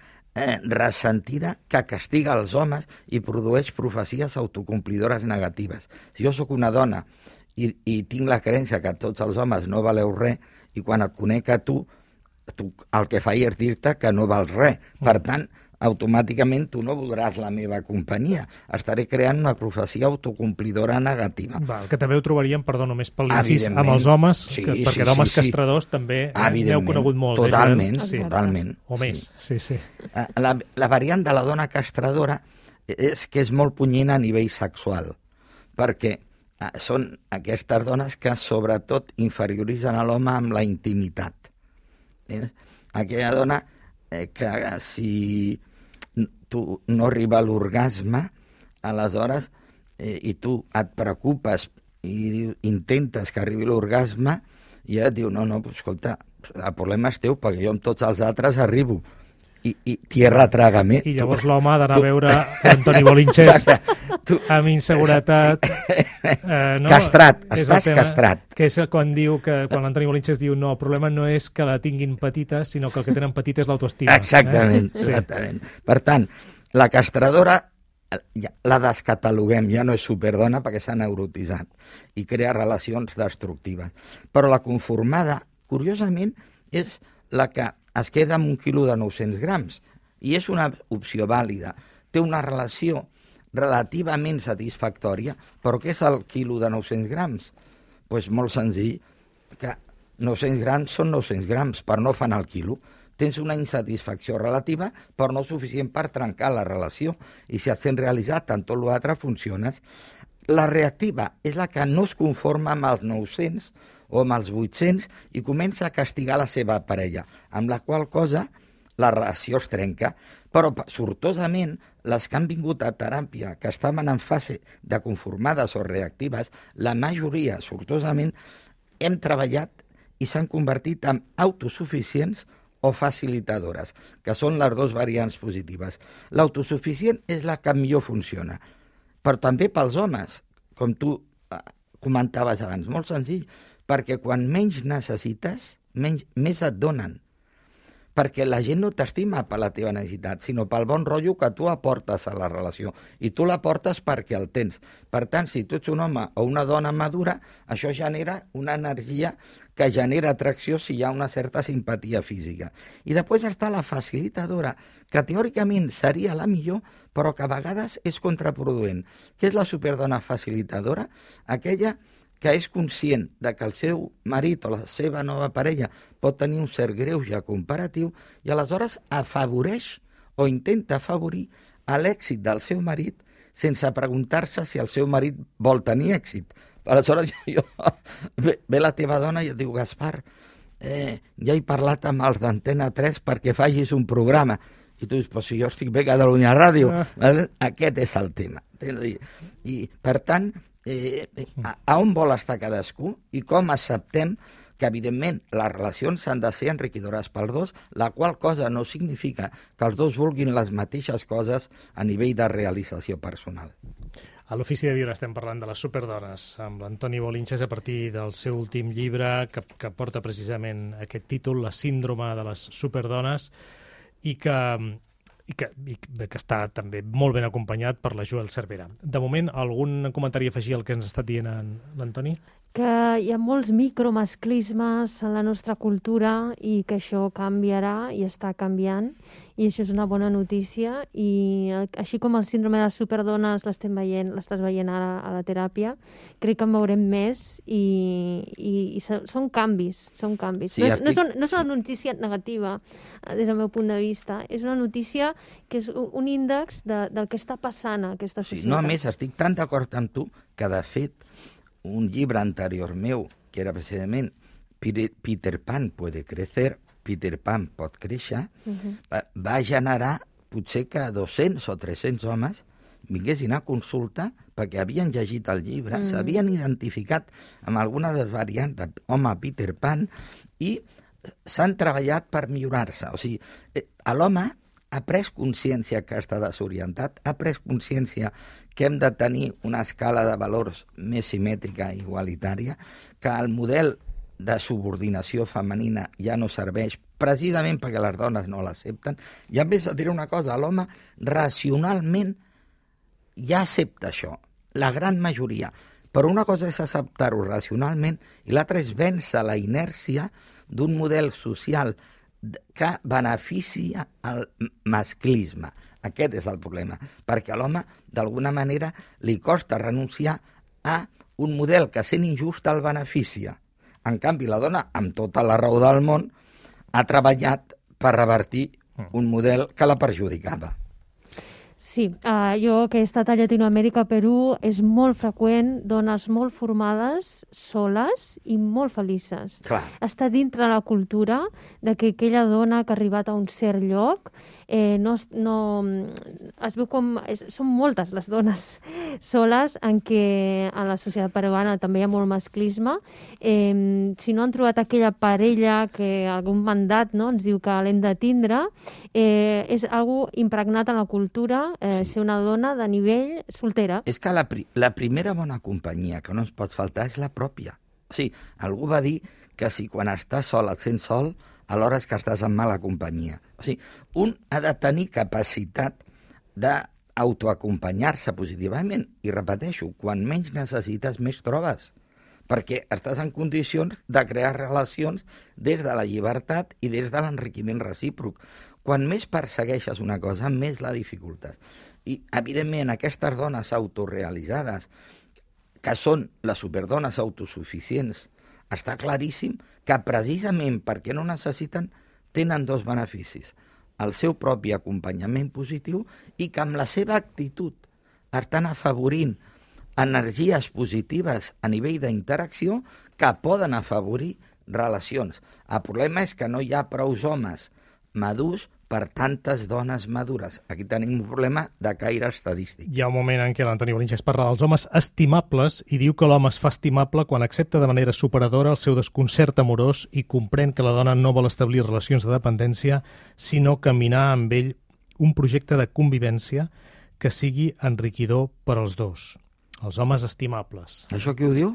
ressentida que castiga els homes i produeix profecies autocomplidores negatives. Si jo sóc una dona i tinc la creença que tots els homes no valeu res i quan et conec a tu tu, el que faig és dir-te que no vals res. Per tant, automàticament tu no voldràs la meva companyia. Estaré creant una profecia autocomplidora negativa. Val, que també ho trobaríem, perdó, només per l'incís, amb els homes, perquè d'homes castradors també n'heu conegut molts. Totalment, sí. totalment. O més, sí. La variant de la dona castradora és que és molt punyent a nivell sexual, perquè són aquestes dones que sobretot inferioritzen a l'home amb la intimitat. Aquella dona que si tu no arriba a l'orgasme, aleshores, i tu et preocupes i intentes que arribi l'orgasme, i ella et diu, no, escolta, el problema és teu, perquè jo amb tots els altres arribo. I tierra trágame. I llavors l'home ha d'anar a veure Antoni Bolinches amb inseguretat. No? Castrat, estàs castrat. Que és quan l'Antoni Bolinches diu no, el problema no és que la tinguin petita, sinó que el que tenen petita és l'autoestima. Exactament, exactament. Per tant, la castradora la descataloguem, ja no és superdona perquè s'ha neurotitzat i crea relacions destructives. Però la conformada, curiosament, és la que es queda amb 1 quilo de 900 grams i és una opció vàlida. Té una relació relativament satisfactòria, però què és el quilo de 900 grams? Doncs molt senzill, que 900 grams són 900 grams, però no fan el quilo. Tens una insatisfacció relativa, però no suficient per trencar la relació. I si et sents realitzat, tant tot l'altre funciones. La reactiva és la que no es conforma amb els 900 o amb els 800 i comença a castigar la seva parella, amb la qual cosa la relació es trenca. Però, sortosament, les que han vingut a teràpia, que estaven en fase de conformades o reactives, la majoria, sortosament, hem treballat i s'han convertit en autosuficients o facilitadores, que són les dues variants positives. L'autosuficient és la que millor funciona, però també pels homes, com tu comentaves abans, molt senzill, perquè quan menys necessites, més et donen. Perquè la gent no t'estima per la teva necessitat, sinó pel bon rotllo que tu aportes a la relació. I tu l'aportes perquè el tens. Per tant, si tu ets un home o una dona madura, això genera una energia que genera atracció si hi ha una certa simpatia física. I després està la facilitadora, que teòricament seria la millor, però que a vegades és contraproduent. Què és la superdona facilitadora? Aquella que és conscient de que el seu marit o la seva nova parella pot tenir un cert greuge comparatiu i aleshores afavoreix o intenta afavorir l'èxit del seu marit sense preguntar-se si el seu marit vol tenir èxit. Aleshores ve la teva dona i et diu, Gaspar, ja he parlat amb els d'Antena 3 perquè facis un programa. I tu dius, però si jo estic bé a Catalunya Ràdio. Aquest és el tema. I per tant, a on vol estar cadascú i com acceptem que, evidentment, les relacions han de ser enriquidores pels dos, la qual cosa no significa que els dos vulguin les mateixes coses a nivell de realització personal. A l'Ofici de Viure estem parlant de les superdones amb l'Antoni Bolinches a partir del seu últim llibre que porta precisament aquest títol, La síndrome de les superdones, i que està també molt ben acompanyat per la Joel Cervera. De moment, algun comentari a afegir al que ens ha estat dient l'Antoni? Que hi ha molts micromasclismes en la nostra cultura i que això canviarà i està canviant, i això és una bona notícia. I així com el síndrome de les superdones l'estàs veient ara a la teràpia, crec que en veurem més i són canvis. Sí, no és una notícia negativa des del meu punt de vista, és una notícia que és un índex del que està passant a aquesta societat. Sí, no, a més, estic tan d'acord amb tu que, de fet, un llibre anterior meu, que era precisament Peter Pan puede crecer, Peter Pan pot créixer, va generar potser que 200 o 300 homes vinguessin a consulta perquè havien llegit el llibre, s'havien identificat amb alguna de les variants d'home Peter Pan i s'han treballat per millorar-se. O sigui, l'home ha pres consciència que està desorientat, ha pres consciència que hem de tenir una escala de valors més simètrica i igualitària, que el model de subordinació femenina ja no serveix precisament perquè les dones no l'accepten. I a més, et diré una cosa, l'home racionalment ja accepta això, la gran majoria. Però una cosa és acceptar-ho racionalment i l'altra és vèncer la inèrcia d'un model social que beneficia el masclisme. Aquest és el problema, perquè a l'home, d'alguna manera, li costa renunciar a un model que, sent injust, el beneficia. En canvi, la dona, amb tota la raó del món, ha treballat per revertir un model que la perjudicava. Sí, jo que he estat a Llatinoamèrica, a Perú, és molt freqüent dones molt formades, soles i molt felices. Clar. Està dintre la cultura de que aquella dona que ha arribat a un cert lloc es veu com... Són moltes les dones soles en què a la societat peruana també hi ha molt masclisme. Si no han trobat aquella parella que algun mandat ens diu que l'hem de tindre, és algo impregnat en la cultura, ser una dona de nivell soltera. És que la primera bona companyia que no ens pot faltar és la pròpia. O sigui, algú va dir que si quan estàs sol et sents sol, alhora és que estàs en mala companyia. O sigui, un ha de tenir capacitat d'autoacompanyar-se positivament. I repeteixo, quan menys necessites, més trobes. Perquè estàs en condicions de crear relacions des de la llibertat i des de l'enriquiment recíproc. Quan més persegueixes una cosa, més la dificultes. I, evidentment, aquestes dones autorealitzades, que són les superdones autosuficients, està claríssim que precisament perquè no necessiten, tenen dos beneficis. El seu propi acompanyament positiu i que amb la seva actitud estan afavorint energies positives a nivell d'interacció que poden afavorir relacions. El problema és que no hi ha prous homes madurs per tantes dones madures. Aquí tenim un problema de caire estadístic. Hi ha un moment en què l'Antoni Bolinches parla dels homes estimables i diu que l'home es fa estimable quan accepta de manera superadora el seu desconcert amorós i comprèn que la dona no vol establir relacions de dependència, sinó caminar amb ell un projecte de convivència que sigui enriquidor per als dos. Els homes estimables. Això qui ho diu?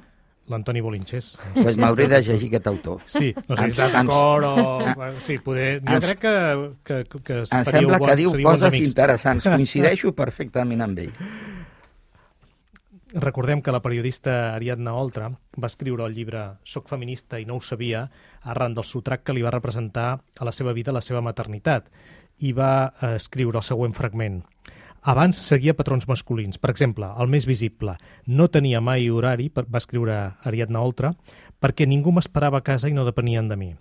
L'Antoni Bolinches. Pues m'hauré de llegir aquest autor. Sí, no sé si estàs d'acord o... Sí, poder... Jo crec que em sembla que diu coses interessants. Coincideixo perfectament amb ell. Recordem que la periodista Ariadna Oltra va escriure el llibre Soc feminista i no ho sabia arran del sotrac que li va representar a la seva vida la seva maternitat i va escriure el següent fragment. Abans seguia patrons masculins. Per exemple, el més visible, no tenia mai horari, va escriure Ariadna Oltra, perquè ningú m'esperava a casa i no depenien de mi.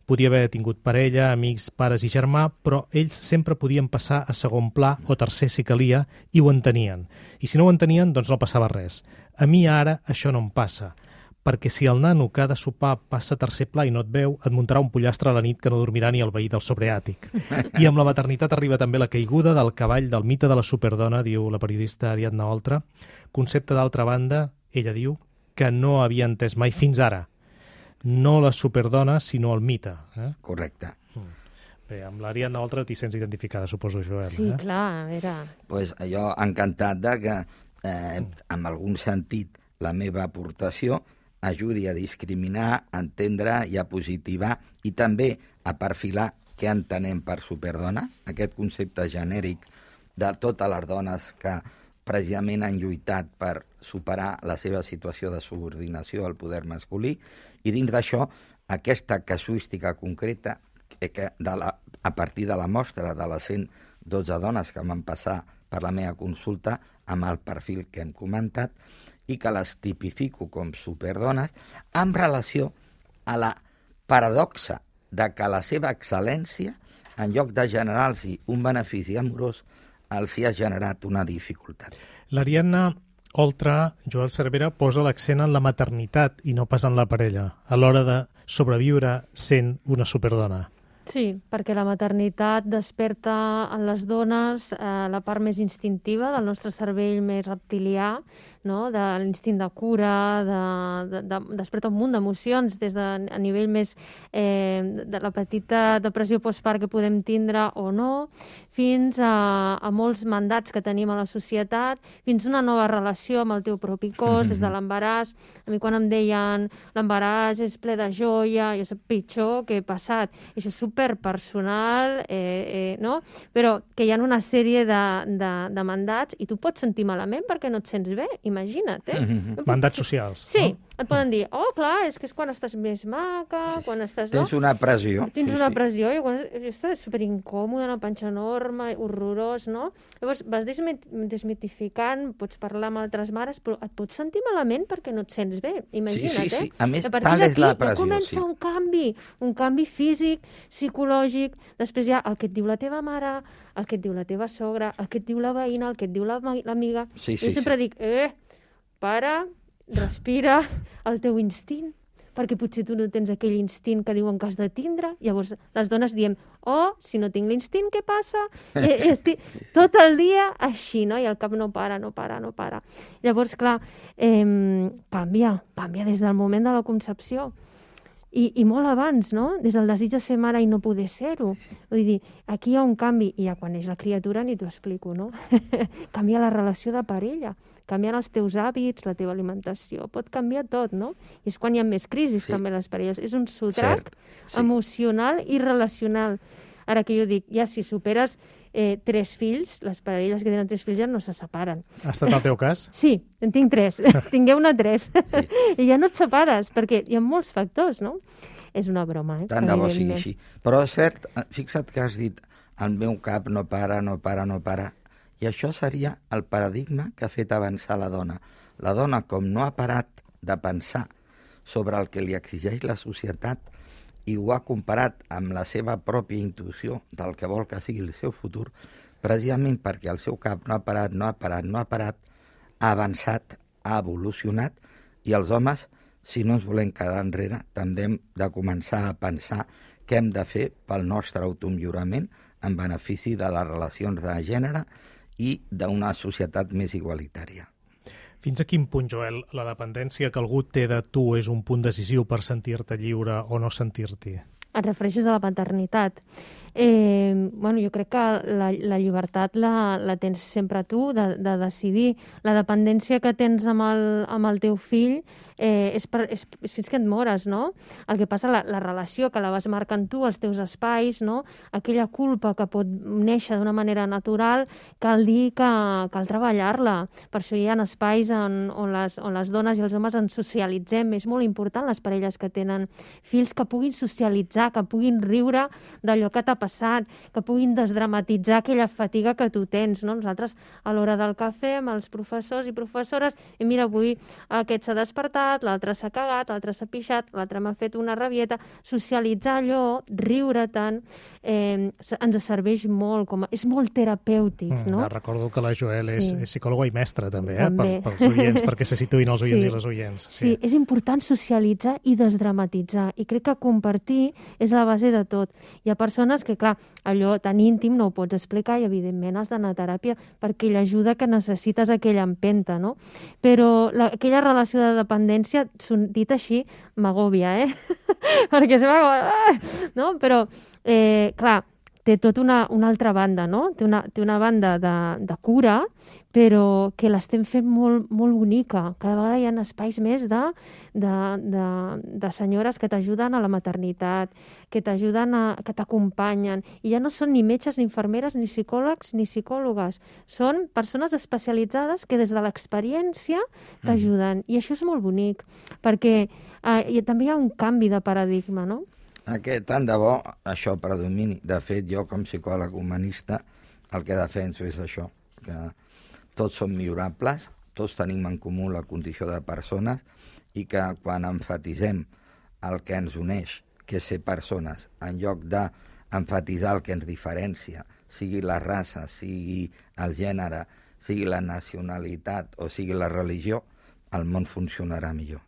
Podia haver tingut parella, amics, pares i germà, però ells sempre podien passar a segon pla o tercer si calia i ho entenien. I si no ho entenien, doncs no passava res. A mi ara això no em passa, perquè si el nano que ha de sopar passa a tercer pla i no et veu, et muntarà un pollastre a la nit que no dormirà ni el veí del sobreàtic. I amb la maternitat arriba també la caiguda del cavall del mite de la superdona, diu la periodista Ariadna Oltra, concepte d'altra banda, ella diu, que no havia entès mai fins ara. No la superdona, sinó el mite. Correcte. Bé, amb l'Ariadna Oltra t'hi sents identificada, suposo, Joel. Sí, clar, a veure... Pues jo encantat de que, en algun sentit, la meva aportació ajudi a discriminar, a entendre i a positivar i també a perfilar què entenem per superdona, aquest concepte genèric de totes les dones que precisament han lluitat per superar la seva situació de subordinació al poder masculí i dins d'això aquesta casuística concreta que a partir de la mostra de les 112 dones que van passar per la meva consulta amb el perfil que hem comentat i que les tipifico com superdones en relació a la paradoxa de que la seva excel·lència, en lloc de generar-los un benefici amorós, els hi ha generat una dificultat. L'Ariadna Oltra, Joel Cervera, posa l'accent en la maternitat i no pas en la parella, a l'hora de sobreviure sent una superdona. Sí, perquè la maternitat desperta en les dones la part més instintiva del nostre cervell més reptilià, no? De l'instint de cura, desperta un munt d'emocions des de a nivell més de la petita depressió postpart que podem tindre o no, fins a molts mandats que tenim a la societat, fins a una nova relació amb el teu propi cos, des de l'embaràs. A mi quan em deien l'embaràs és ple de joia, jo soc pitjor que he passat. I això és superpersonal, no? Però que hi ha una sèrie de mandats i tu pots sentir malament perquè no et sents bé, imagina't. Mandats socials. Sí, et poden dir, clar, és que és quan estàs més maca, quan estàs... Tens una pressió. Tens una pressió, i quan estàs superincòmode, una panxa enorme, horrorós, no? Llavors vas desmitificant, pots parlar amb altres mares, però et pots sentir malament perquè no et sents bé, imagina't, Sí. A més, a partir tal és la d'aquí pressió, comença un canvi físic, psicològic, després hi ha el que et diu la teva mare, el que et diu la teva sogra, el que et diu la veïna, el que et diu l'amiga. Jo sempre dic, para, respira, el teu instint, perquè potser tu no tens aquell instint que diuen que has de tindre. Llavors les dones diem, si no tinc l'instint, què passa? I estic tot el dia així, no? I el cap no para. Llavors, clar, canvia des del moment de la concepció. I molt abans, no? Des del desig de ser mare i no poder ser-ho. Vull dir, aquí hi ha un canvi, i ja quan neix la criatura ni t'ho explico, no? Canvia la relació de parella, canvien els teus hàbits, la teva alimentació, pot canviar tot, no? I és quan hi ha més crisis, també, les parelles. És un sotrac emocional i relacional. Ara que jo dic, ja si superes 3 fills, les parelles que tenen 3 fills ja no se separen. Ha estat el teu cas? Sí, en tinc 3. Tingueu-ne 3. I ja no et separes, perquè hi ha molts factors, no? És una broma, Tant de bo sigui així. Però és cert, fixa't que has dit, el meu cap no para. I això seria el paradigma que ha fet avançar la dona. La dona, com no ha parat de pensar sobre el que li exigeix la societat i ho ha comparat amb la seva pròpia intuïció del que vol que sigui el seu futur, precisament perquè el seu cap no ha parat, ha avançat, ha evolucionat, i els homes, si no ens volem quedar enrere, també hem de començar a pensar què hem de fer pel nostre automillorament en benefici de les relacions de gènere i d'una societat més igualitària. Fins a quin punt, Joel, la dependència que algú té de tu és un punt decisiu per sentir-te lliure o no sentir-t'hi? Et refereixes a la paternitat. Jo crec que la llibertat la tens sempre tu, de decidir. La dependència que tens amb el teu fill és fins que et mores, no? El que passa, la relació que la vas marcant tu, els teus espais, no? Aquella culpa que pot néixer d'una manera natural, cal dir que cal treballar-la. Per això hi ha espais on les dones i els homes ens socialitzem. És molt important, les parelles que tenen fills, que puguin socialitzar, que puguin riure d'allò que t'ha passat, que puguin desdramatitzar aquella fatiga que tu tens, no? Nosaltres, a l'hora del cafè, amb els professors i professores, i mira, avui aquest s'ha despertat, l'altre s'ha cagat, l'altre s'ha pixat, l'altre m'ha fet una rabieta. Socialitzar allò, riure tant, ens serveix molt, és molt terapèutic, no? Recordo que la Joel és psicòloga i mestra, també, pels oients, perquè se situïn els oients i les oients. Sí, és important socialitzar i desdramatitzar, i crec que compartir és la base de tot. Hi ha persones que, clar, allò tan íntim no ho pots explicar i, evidentment, has d'anar a teràpia perquè l'ajuda que necessites aquella empenta, no? Però aquella relació de dependència, dit així, m'agòbia, perquè se m'agòbia, no? Però, clar, té tota una altra banda, no? Té una banda de cura, però que l'estem fent molt, molt bonica. Cada vegada hi ha espais més de senyores que t'ajuden a la maternitat, que t'ajuden, que t'acompanyen. I ja no són ni metges, ni infermeres, ni psicòlegs, ni psicòlogues. Són persones especialitzades que des de l'experiència t'ajuden. I això és molt bonic, perquè també hi ha un canvi de paradigma, no? Tant de bo això predomini. De fet, jo com psicòleg humanista el que defenso és això, que tots som millorables, tots tenim en comú la condició de persones i que quan emfatitzem el que ens uneix, que és ser persones, en lloc d'emfatitzar el que ens diferencia, sigui la raça, sigui el gènere, sigui la nacionalitat o sigui la religió, el món funcionarà millor.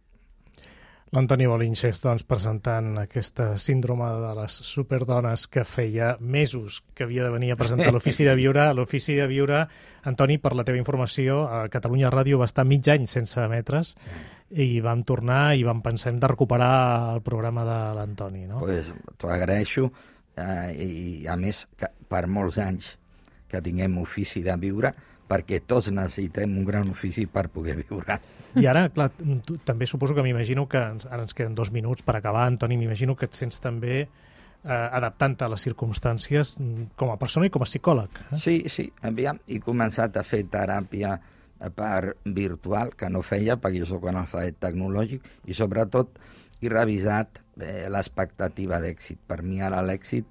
L'Antoni Bolinches, doncs, presentant aquesta síndrome de les superdones que feia mesos que havia de venir a presentar l'Ofici de Viure. L'Ofici de Viure, Antoni, per la teva informació, a Catalunya Ràdio va estar mig any sense emetre's i vam tornar i vam pensar de recuperar el programa de l'Antoni, no? Pues t'ho agraeixo i, a més, per molts anys que tinguem Ofici de Viure, perquè tots necessitem un gran ofici per poder viure. I ara, clar, tu, també suposo que m'imagino que ara ens queden 2 minuts per acabar, Antoni, m'imagino que et sents també adaptant-te a les circumstàncies com a persona i com a psicòleg. Sí, aviam, he començat a fer teràpia per virtual, que no feia perquè jo soc analfabet tecnològic, i sobretot he revisat l'expectativa d'èxit. Per mi ara l'èxit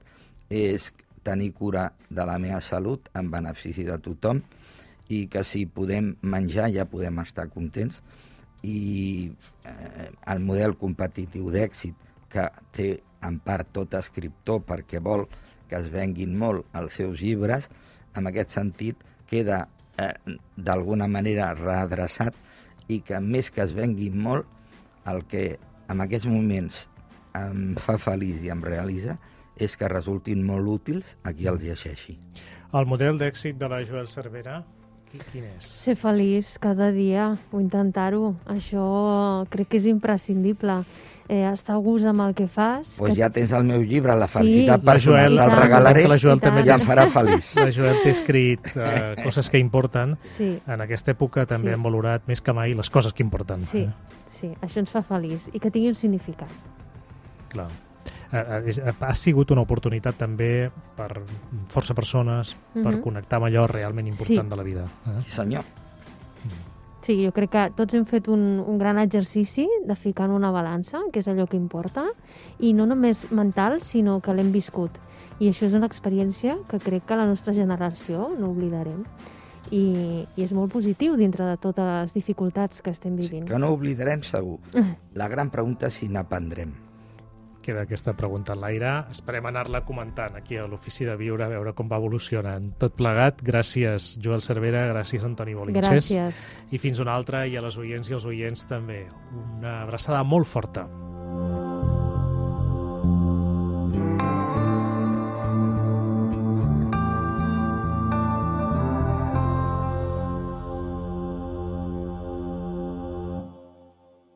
és tenir cura de la meva salut en benefici de tothom i que si podem menjar ja podem estar contents, i el model competitiu d'èxit que té en part tot escriptor perquè vol que es venguin molt els seus llibres, en aquest sentit queda d'alguna manera readreçat, i que més que es venguin molt, el que en aquests moments em fa feliç i em realitza és que resultin molt útils a qui els llegeixi. El model d'èxit de la Joel Cervera, quin és? Ser feliç cada dia, o intentar-ho. Això crec que és imprescindible. Estar a gust amb el que fas. Doncs ja tens el meu llibre, La Sí. felicitat La personal, Joel, te'l regalaré la Joel també i em farà feliç. La Joel té escrit coses que importen. Sí. En aquesta època també Sí. hem valorat més que mai les coses que importen. Sí, això ens fa feliç i que tingui un significat. Clar. Ha sigut una oportunitat també per força persones per connectar amb allò realment important de la vida. Sí, senyor. Sí, jo crec que tots hem fet un gran exercici de ficar en una balança, que és allò que importa, i no només mental, sinó que l'hem viscut. I això és una experiència que crec que la nostra generació no oblidarem. I és molt positiu dintre de totes les dificultats que estem vivint. Que no oblidarem segur. La gran pregunta és si n'aprendrem. Queda aquesta pregunta en l'aire. Esperem anar-la comentant aquí a l'Ofici de Viure, a veure com va evolucionant. Tot plegat, gràcies Joel Cervera, gràcies Antoni Bolinxés. Gràcies. I fins una altra, i a les oients i els oients també. Una abraçada molt forta.